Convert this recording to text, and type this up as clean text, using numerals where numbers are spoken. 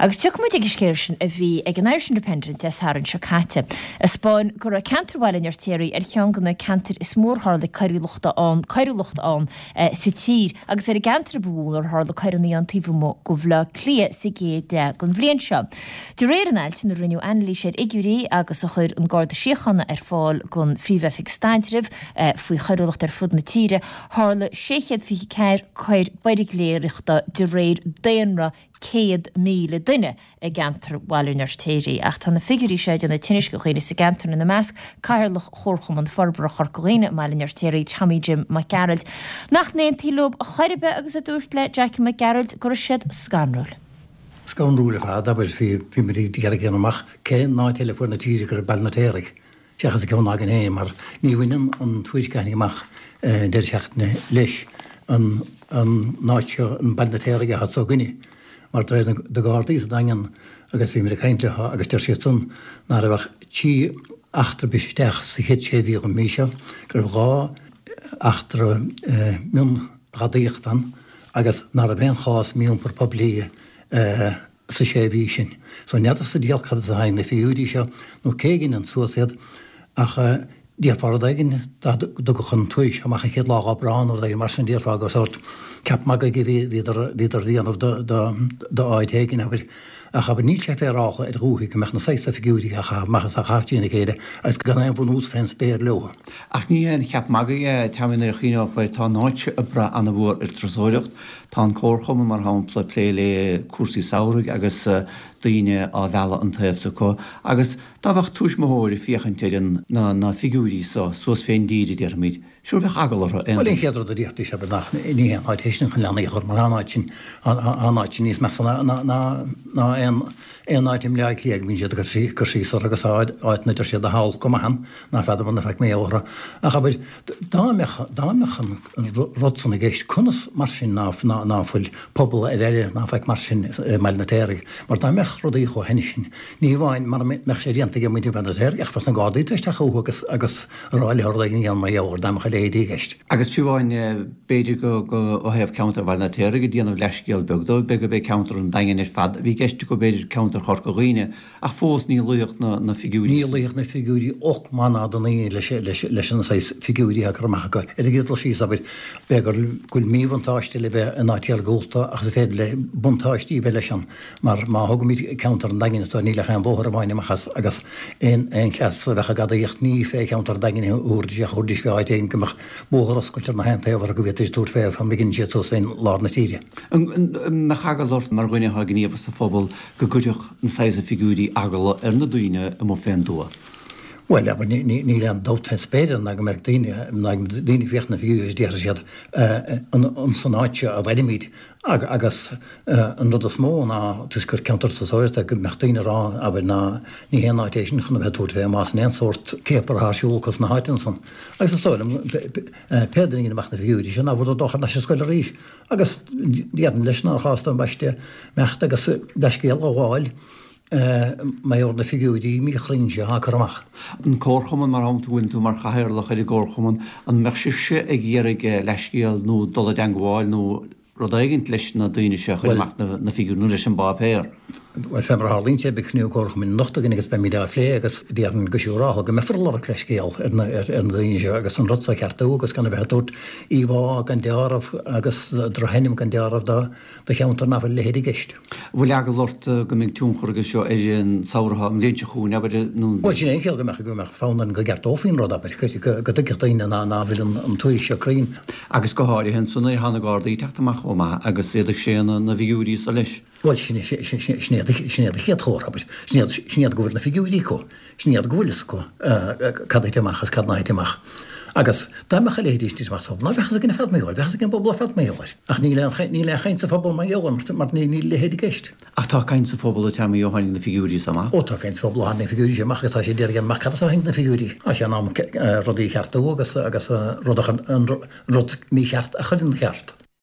Agus tiocfaidh muid ag an scéal sin a bhí ag an Irish Independent Dé Sathairn seo caite, a 'spáin go raibh ceantar Bhaile an Fheirtéaraigh ar cheann de na ceantair is mó ar tharla coiriúlachta ann, coiriúlacht ann sa tír, agus ar an gceantar ba mhó ar tharla coireanna ann taobh amuigh de Bhaile Átha Cliath sa gcéad leath den bhliain seo. De réir an ailt, ina rinneadh anailís ar fhigiúirí agus a chuir an Garda Síochána ar fáil don Phríomh-Oifig Staidrimh faoi choiriúlacht ar fud na tíre, tharla 624 coir buirgléireachta de réir daonra 100,000 duine i gceantar Bhaile an Fheirtéaraigh. Ach tá na figiúirí seo ag déanamh tinnis do dhaoine sa gceantar, ina measc Cathaoirleach Chomharchumann Forbartha Chorca Dhuibhne i mBaile an Fheirtéaraigh, Tommy Jim Mac Gearailt, nach n-aontaíonn leo a chor ar bith agus a dúirt le Jackie Mac Gearailt go raibh siad scanrúil. Scanrúil ar fad, abair, bhí muid ag iarraidh a dhéanamh amach cén áit eile fuaid na tíre go raibh Baile an Fheirtéaraigh. seachas an ceann againn féin, mar ní bhaineann an tuairisc a tháinig amach an deireadh seachtaine leis an áit seo, an Baile an Fheirtéaraigh atá s'againne, mar de réir na Gardaí sa Daingean agus bhí muid ag caint leo agus deir siad san ná raibh ach 3 eachtra bris isteach sa chéad sé mhí den mhí seo, go raibh 2 eachtra mionghadaíochta ann agus ná raibh aon chás mí-iompar poiblí sa sé mhí sin. So n'fheadar sa diabhal cad as a tháinig na figiúirí seo nó cé a dhein suas iad ach déarfá rud éigin dá dtugadh an tuairisc seo amach an chéad lá d'Aibreán nó rud éigin mar sin déarfá gur sórt ceap magaidh a bhí bhíodar bhíodar a dhéanamh do do d'áit éigin abair ach abair níl sé féaráilte ar dhúthaigh go mbeadh na saghas figiúirí á chaitheamh amach is á chaitheamh trína chéile agus gan aon bhunús fén spéir leo. Ach ní haon cheap magaidh é, Tommy, nuair a chuimhneofá air, tá an áit seo ag brath ana-mhór ar turasóireacht. Tá an Comharchumann, mar shampla, ag plé le cúrsaí samhraidh agus daoine á mhealladh an taobh s'acu agus dá mbeadh tuismitheoir ag féachaint ar na figiúirí so suas fén dtír, a déarfaimid, sure bheadh eagla orthu aon Bhuel, an chéad rud a déarfaidís abair nach ní haon áit é sin chun leanaí a chur mar tá an áit sin, tá an áit sin níos measa ná ná aon aon áit i mBleá Cliath go mbíonn siad ag cur síos orthu agus tá áiteanna a deir siad atá olc go maith ann ná feadar muna faic mé orthu ach abair dá mbeadh dá mbeadh an an rud san i gceist, conas mar sin ná ná fuil pobal ar aire ná faic mar sin i mBaile an Fheirtéaraigh? Mar dá mbeadh rudaí chomh hainnis sin, ní amháin mara mbeadh sé déanta ag muintir Bhaile an Fheirtéaraigh ach bheadh na Gardaí tar isteach chucu agus agus a rá leo rud éigin a dhéanamh mar gheall air dá mbeadh a leithéidí i gceist. Agus fiú amháin, b'fhéidir go go ó thaobh ceantar Bhaile an Fheirtéaraigh ag déanamh leathscéal beag dó, b'fhéidir gurb é ceantar an Daingin ar fad a bhí i gceist acu, b'fhéidir ceantar Chorca Dhuibhne, Ach fós ní luífeadh na figiúirí. Ní luífeadh na figiúirí olc maith ná do naoi leis an saghas figiúirí atá curtha amach acu. Ar an gcéad dul síos, abair, b'fhéidir go bhfuil míbhuntáiste le bheith in áit iargúlta ach is féidir le buntáistí a bheith leis ann mar má thógaimid ceantar an Daingin anso níl ach aon bhóthar amháin amach as agus aon chleas a bheadh ag gadaíocht ní fé cheantar an Daingin a thabharfaidís ach thabharfaidís fé áit éigin go mbeadh bóthar oscailte ar na haon taobh orthu go bhféadfaidís tabhairt fé fá mbligeann siad suas fén lár na tíre. An mbeadh eagla ort mar dhuine atá gníomhach sa phobal go gcuirfeadh na saghas figiúirí eagla ar na daoine amuigh fén dtuath. Bhuel, abair, níl aon dabht fén spéir ná go mbeadh daoine, ná go mbeadh daoine ag féachaint na figiúirí agus déarfaidh siad, an san áit seo a mhairimid? Agus an rud is mó ná, toisc gur ceantar turasóireachta, go mbeadh daoine ag rá, abair, ná ní haon áit é sin chun a bheith ag tabhairt fé más in aon sórt céapar atá ar siúl acu sna háiteanna san. Agus is dóigh liom, pé duine a dhein amach na figiúirí sin, ná fuileadar ag dul thar n-ais ar scoil arís. Agus déarfainn leis nár chás don bpaiste imeacht agus leithscéal a ghabháil mar gheall ar na figiúirí míchruinn seo atá curtha amach. An Comharchumann, mar shampla, go bhfuileann tú mar chathaoirleach ar an gComharchumann, an mbeadh sibhse ag iarraidh leithscéal nó dul i dteangmháil nó rud éigint leis na daoine seo a chuir amach na figiúirí nó leis an bpáipéar? Bhuel, fé mar a tharlaíonn sé, beidh cruinniú Comharchumainn anocht againn agus beimid á phlé agus déarfainn go siúrálta go mbeifear ag lorg leithscéal ar na daoine seo agus an rud seo a cheartú agus gan a bheith ag tabhairt íomhá gan deáramh agus drochainm gan deáramh do cheantar nach bhfuil a leithéid i gceist. An bhfuil eagla ort go mbeidh tionchar aige seo ar an samhradh, an bhliain seo chugainn, abair, nó an. Bhuel, sin é an chiall go mbeadh, go mbeadh fonn orainn go gceartófaí an rud, abair, go dtuigfeadh daoine ná fuil an tuairisc seo cruinn. Agus go háirithe ansan nuair atá na Gardaí ag teacht amach chomh maith agus iad ag séanadh na bhfigiúirí so leis. Bhuel, sin é, sin é, sin iad an chéad chomhartha, abair. Sin iad, sin iad go bhfuil na figiúirí acu. Sin iad go bhfuil fhios acu cad a thit amach agus cad ná thit amach. Agus dá mbeadh a leithéidí sin ag titim amach sa phobal, ná bheadh fhios againn ar fad mar gheall air, bheadh fhios ag an bpobal ar fad mar gheall air. Ach níl aon, níl aon chaint sa phobal mar gheall air, mar níl a leithéid i gceist. Ach tá caint sa phobal a Tommy ó tháinig na figiúirí so amach. Ó tá caint sa phobal ó tháinig na figiúirí seo amach agus tá siad ag iarraidh amach cad as a tháinig na figiúirí. Tá sé in am rudaí a cheartú agus, agus rud a chur, an rud mícheart a chur ina cheart.